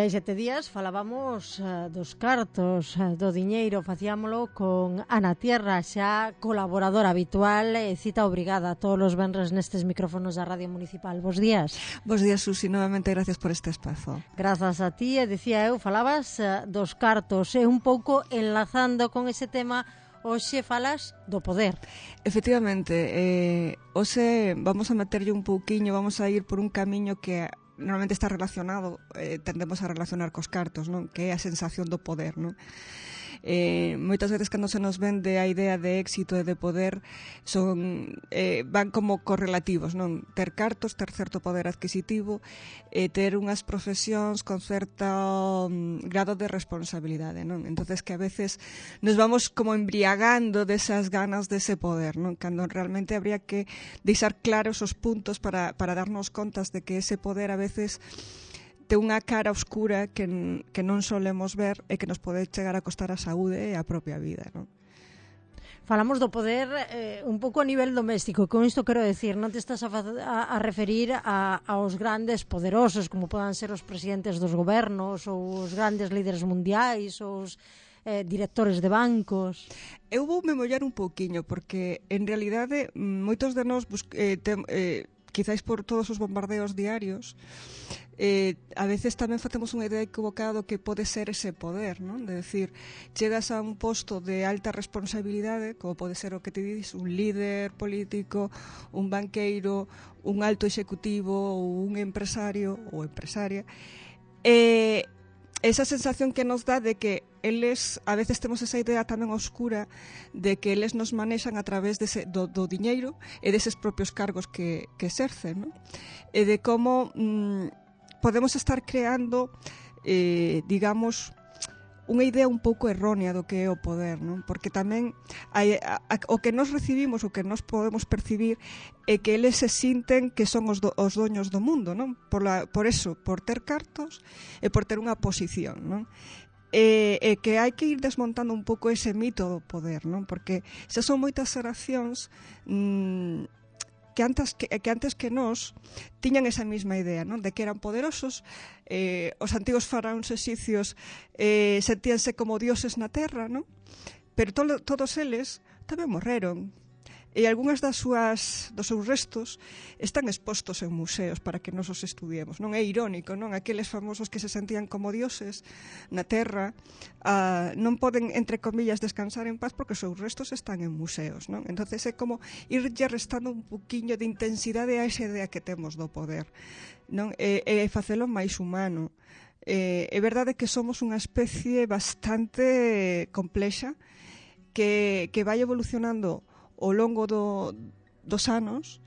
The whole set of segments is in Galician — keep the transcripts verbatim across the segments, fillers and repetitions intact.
hai sete días falábamos uh, dos cartos, uh, do diñeiro, facíamolo con Ana Tierra, xa colaboradora habitual e cita obrigada todos os venres nestes micrófonos da Radio Municipal. Bos días. Bos días, Susi, novamente gracias por este espazo. Grazas a ti, e dicía eu, falabas uh, dos cartos, e un pouco enlazando con ese tema, hoxe falas do poder. Efectivamente, eh, hoxe vamos a meterlle un pouquiño, vamos a ir por un camiño que normalmente está relacionado, eh, tendemos a relacionar cos cartos, non? Que é a sensación do poder, non? Eh, moitas veces cando se nos vende a idea de éxito e de poder son eh, van como correlativos, non? Ter cartos, ter certo poder adquisitivo e eh, ter unhas profesións con certo um, grado de responsabilidade, non? Entonces que a veces nos vamos como embriagando desas ganas dese poder, non? Cando realmente habría que deixar claros os puntos para, para darnos contas de que ese poder a veces ten unha cara oscura que, que non solemos ver e que nos pode chegar a costar a saúde e a propia vida, non? Falamos do poder eh, un pouco a nivel doméstico. Con isto quero decir, non te estás a, a, a referir a, aos grandes poderosos, como podan ser os presidentes dos gobernos ou os grandes líderes mundiais ou os eh, directores de bancos. Eu vou me mollar un pouquiño, porque en realidade moitos de nós eh, tem, eh, quizáis por todos os bombardeos diarios, eh, a veces tamén facemos unha idea equivocada do que pode ser ese poder, non? De decir, chegas a un posto de alta responsabilidade, como pode ser o que te dices, un líder político, un banqueiro, un alto executivo ou un empresario ou empresaria, e eh, esa sensación que nos dá de que eles, a veces temos esa idea tamén oscura de que eles nos manexan a través dese, do, do diñeiro e deses propios cargos que, que exercen, non? E de como mm, podemos estar creando, eh, digamos, unha idea un pouco errónea do que é o poder, non? Porque tamén hai, a, a, o que nos recibimos, o que nos podemos percibir é que eles se sinten que son os, do, os doños do mundo, non? Por, la, por eso, por ter cartos e por ter unha posición, non? E, e que hai que ir desmontando un pouco ese mito do poder, non? Porque xa son moitas xeracións mmm, que antes que, que antes que nós tiñan esa mesma idea, non? De que eran poderosos, eh, os antigos faraóns exicios eh, sentíanse como dioses na terra, non? Pero to, todos eles tamén morreron. E algunhas das súas, dos seus restos están expostos en museos para que nos os estudiemos, non? É irónico, non? Aqueles famosos que se sentían como dioses na terra uh, non poden, entre comillas, descansar en paz porque os seus restos están en museos, non? Entonces é como irlle restando un poquinho de intensidade a esa idea que temos do poder, non? E, e facelo máis humano. Eh, é verdade que somos unha especie bastante complexa que, que vai evolucionando ao longo do, dos anos,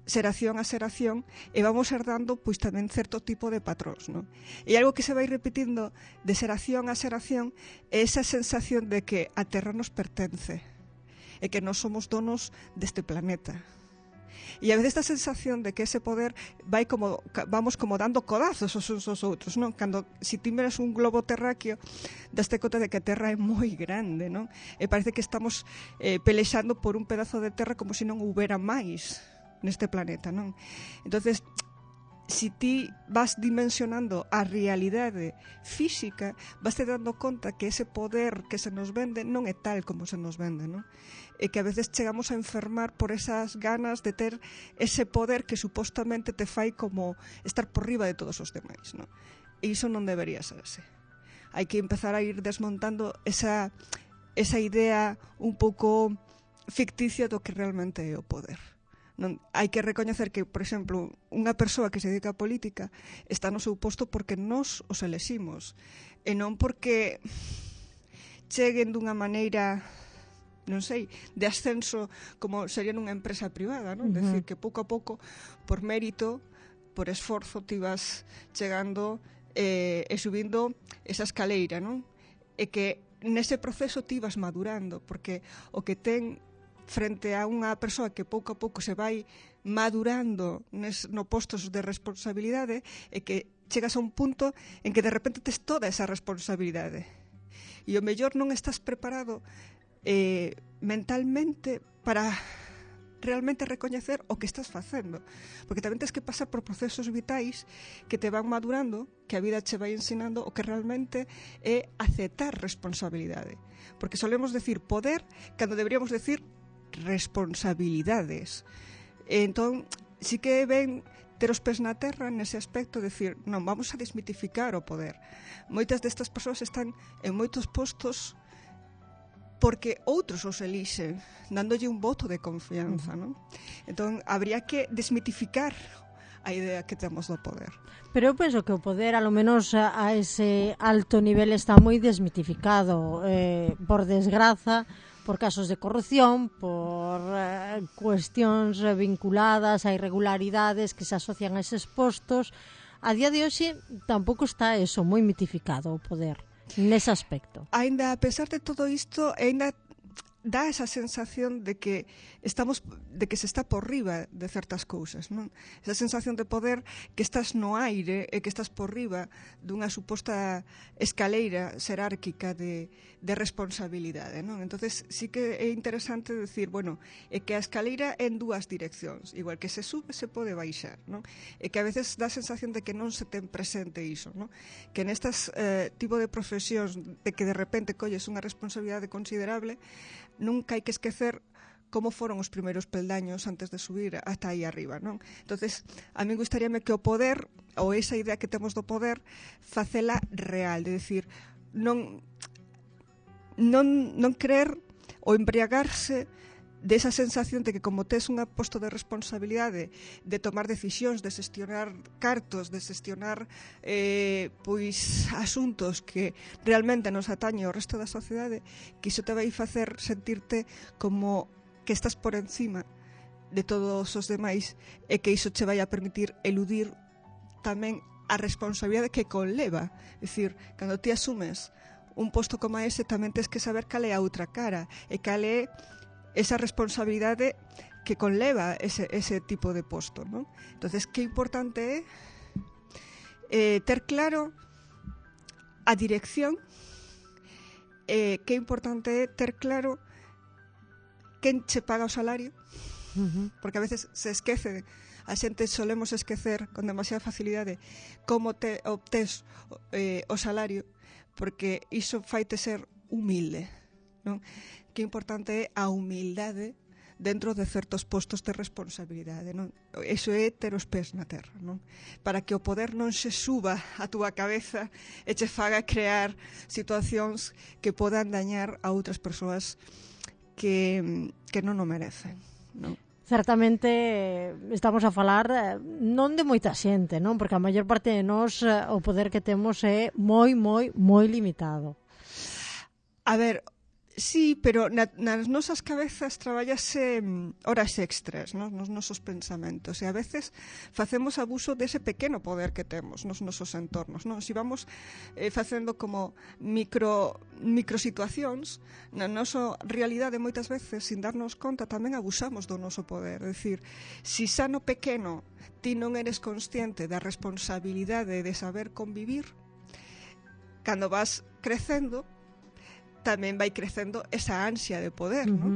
xeración a xeración, e vamos herdando pois tamén certo tipo de patróns, non? E algo que se vai repetindo de xeración a xeración é esa sensación de que a Terra nos pertence e que nós somos donos deste planeta. E a veces esta sensación de que ese poder vai como, vamos como dando codazos os uns aos outros, non? Cando, se ti miras un globo terráqueo, daste conta de que a Terra é moi grande, non? E parece que estamos eh, pelexando por un pedazo de terra como se non houbera máis neste planeta, non? Entonces, se ti vas dimensionando a realidade física, vas te dando conta que ese poder que se nos vende non é tal como se nos vende, non? E que a veces chegamos a enfermar por esas ganas de ter ese poder que supostamente te fai como estar por riba de todos os demais, non? E iso non debería ser así. Hai que empezar a ir desmontando esa, esa idea un pouco ficticia do que realmente é o poder. Non, hai que recoñecer que, por exemplo, unha persoa que se dedica a política está no seu posto porque nós os eleximos e non porque cheguen dunha maneira, non sei, de ascenso como sería nunha empresa privada, non? Uh-huh. Decir que pouco a pouco, por mérito, por esforzo, ti vas chegando eh, e subindo esa escaleira, non? E que nese proceso ti vas madurando, porque o que ten frente a unha persoa que pouco a pouco se vai madurando nes, no postos de responsabilidade e que chegas a un punto en que de repente tes toda esa responsabilidade e o mellor non estás preparado eh, mentalmente para realmente recoñecer o que estás facendo, porque tamén tens que pasar por procesos vitais que te van madurando, que a vida che vai ensinando o que realmente é aceptar responsabilidade, porque solemos decir poder cando deberíamos decir responsabilidades. Entón, sí que ven ter os pés na terra nese aspecto, decir, non, vamos a desmitificar o poder. Moitas destas persoas están en moitos postos porque outros os elixen, dándolle un voto de confianza, non? Entón, habría que desmitificar a idea que temos do poder. Pero eu penso que o poder, a lo menos a, a ese alto nivel, está moi desmitificado, eh, por desgraza, por casos de corrupción, por eh, cuestións vinculadas a irregularidades que se asocian a eses postos. A día de hoxe tampouco está eso moi mitificado o poder nese aspecto. Ainda, a pesar de todo isto, ainda dá esa sensación de que estamos de que se está por riba de certas cousas, non? Esa sensación de poder que estás no aire e que estás por riba dunha suposta escaleira xerárquica de, de responsabilidade, non? Entonces sí que é interesante decir, bueno, é que a escaleira é en dúas direccións, igual que se sube se pode baixar, non? E que a veces dá a sensación de que non se ten presente iso, non? Que nestas eh, tipo de profesións de que de repente colles unha responsabilidade considerable, nunca hai que esquecer como foron os primeiros peldaños antes de subir hasta aí arriba, non? Entonces, a mí gustaríame que o poder, ou esa idea que temos do poder, facela real, de decir, non non, non creer ou embriagarse desa sensación de que como tes un posto de responsabilidade de tomar decisións, de xestionar cartos, de xestionar eh, pois asuntos que realmente nos atañe ao resto da sociedade, que iso te vai facer sentirte como que estás por encima de todos os demais e que iso che vai a permitir eludir tamén a responsabilidade que conleva. É dicir, cando ti asumes un posto como ese, tamén tens que saber cal é a outra cara e cal é esa responsabilidade que conleva ese, ese tipo de posto, non? Entonces, que importante é eh, ter claro a dirección, eh, que importante é ter claro quen che paga o salario, uh-huh. Porque a veces se esquece, a xente solemos esquecer con demasiada facilidade como te obtés eh, o salario, porque iso faite ser humilde, non? Que importante é a humildade dentro de certos postos de responsabilidade, non? Iso é ter os pés na terra, non? Para que o poder non se suba a túa cabeza e che faga crear situacións que podan dañar a outras persoas que, que non o merecen, non? Certamente estamos a falar non de moita xente, non? Porque a maior parte de nós o poder que temos é moi, moi, moi limitado. A ver, sí, pero na, nas nosas cabezas traballase horas extras, no? Nos nosos pensamentos, e a veces facemos abuso dese pequeno poder que temos nos nosos entornos, non? Si vamos eh, facendo como micro, micro situacións, na nosa realidade moitas veces, sin darnos conta, tamén abusamos do noso poder. É dicir, si xa no pequeno ti non eres consciente da responsabilidade de saber convivir, cando vas crecendo, tamén vai crecendo esa ansia de poder, uh-huh. non?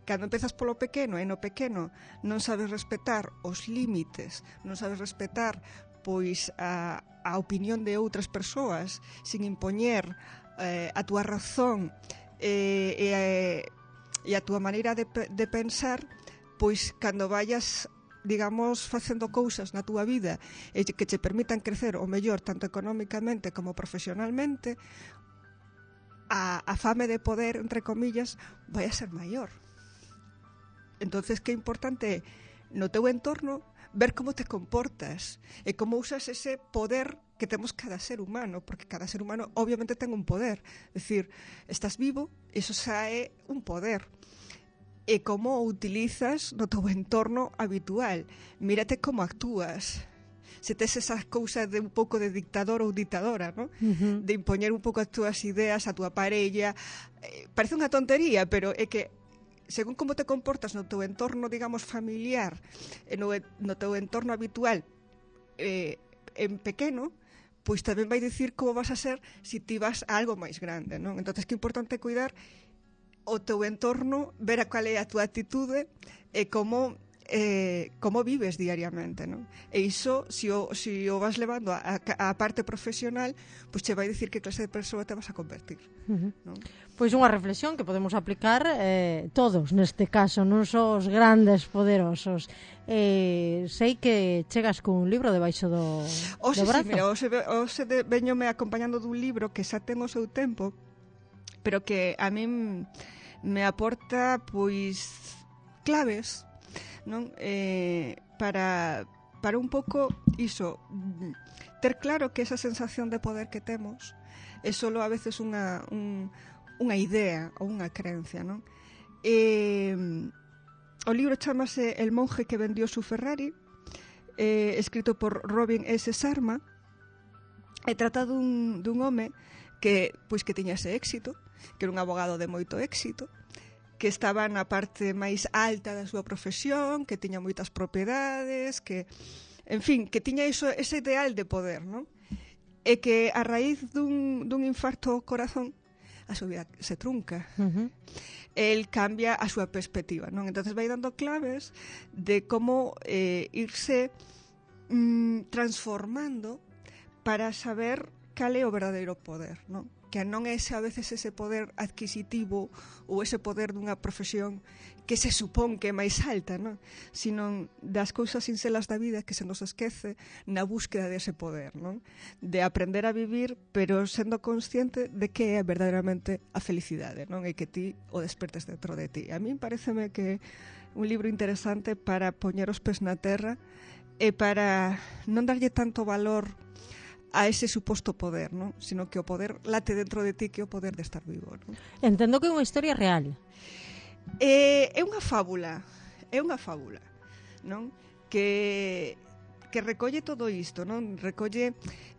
Cando empezas polo pequeno e no pequeno non sabes respetar os límites, non sabes respetar pois a, a opinión de outras persoas sin impoñer eh, a túa razón eh, e, e a túa maneira de, de pensar, pois cando vayas digamos, facendo cousas na túa vida e que che permitan crecer o mellor tanto económicamente como profesionalmente, A, a fame de poder, entre comillas, vai a ser maior. Entonces, que importante é no teu entorno ver como te comportas e como usas ese poder que temos cada ser humano, porque cada ser humano obviamente ten un poder. É dicir, estás vivo, iso xa é un poder. E como o utilizas no teu entorno habitual. Mírate como actúas. Se tes esa cousa de un pouco de dictador ou dictadora, ¿no? Uh-huh. De impoñer un pouco as túas ideas a túa parella. Eh, parece unha tontería, pero é que según como te comportas no teu entorno, digamos, familiar, e no, no teu entorno habitual eh, en pequeno, pois tamén vai dicir como vas a ser se ti vas a algo máis grande, non? Entonces, que importante cuidar o teu entorno, ver a cual é a túa actitude e como eh, como vives diariamente, non? E iso, se o, si o vas levando a, a parte profesional, pois che vai dicir que clase de persoa te vas a convertir, uh-huh. non? Pois unha reflexión que podemos aplicar eh, todos neste caso, non só os grandes poderosos. Eh, sei que chegas cun libro debaixo do, Oxe, do brazo. Sí, mira, ose, ose de, veñome acompañando dun libro que xa ten o seu tempo, pero que a min me aporta pois claves, non? Eh, para, para un pouco iso, ter claro que esa sensación de poder que temos é só a veces unha, un, unha idea ou unha creencia, non? Eh, o libro chamase El monje que vendió su Ferrari, eh, escrito por Robin S. Sharma, e trata dun, dun home que, pois, que tiña ese éxito, que era un abogado de moito éxito, que estaba na parte máis alta da súa profesión, que tiña moitas propiedades, que, en fin, que tiña iso, ese ideal de poder, non? E que a raíz dun, dun infarto ao corazón a súa vida se trunca. Uh-huh. El cambia a súa perspectiva, non? Entonces vai dando claves de como eh, irse mm, transformando para saber cal é o verdadeiro poder, non? Que non é ese, a veces ese poder adquisitivo ou ese poder dunha profesión que se supón que é máis alta, non? Sino das cousas sincelas da vida que se nos esquece na búsqueda dese poder, non? De aprender a vivir, pero sendo consciente de que é verdadeiramente a felicidade, non? E que ti o despertes dentro de ti. A min pareceme que é un libro interesante para poñer os pés na terra e para non darlle tanto valor a ese suposto poder, non? Sino que o poder late dentro de ti, que é o poder de estar vivo, non? Entendo que é unha historia real. É, é unha fábula, é unha fábula, non? Que que recolle todo isto, non? Recolle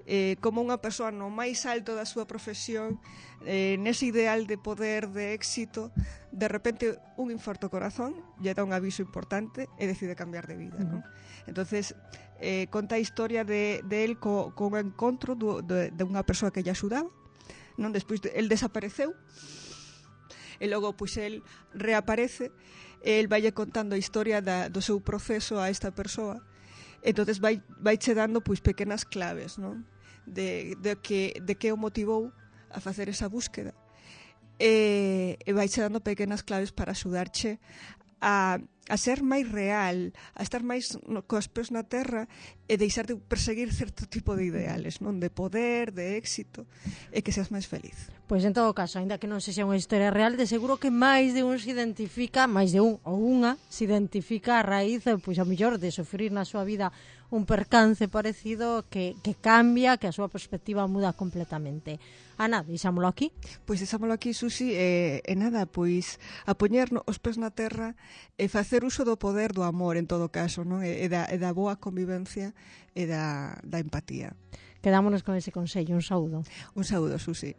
eh, como unha persoa no máis alto da súa profesión, eh, nese ideal de poder, de éxito, de repente un infarto ao corazón, lle dá un aviso importante e decide cambiar de vida, non? Entonces, eh, conta a historia de, de él co, co encontro do, de, de unha persoa que lle axudaba, non? Despois de, el desapareceu e logo pois el reaparece e el vaille contando a historia da, do seu proceso a esta persoa. Entonces vai, vai che dando pois pequenas claves, non? De, de, que, de que o motivou a facer esa búsqueda e, e vai che dando pequenas claves para axudarche a, a ser máis real, a estar máis no, coas pés na terra e deixar de perseguir certo tipo de ideales, non? De poder, de éxito, e que seas máis feliz. Pois en todo caso, ainda que non sexa unha historia real, de seguro que máis de un se identifica, máis de un ou unha se identifica a raíz, pois a mellor de sofrir na súa vida un percance parecido que, que cambia, que a súa perspectiva muda completamente. Ana, deixámolo aquí? Pois deixámolo aquí, Susi, e, e nada, pois a poñer os pés na terra e facer uso do poder do amor en todo caso, non? E, e, da, e da boa convivencia e da, da empatía. Quedámonos con ese consello, un saúdo. Un saúdo, Susi.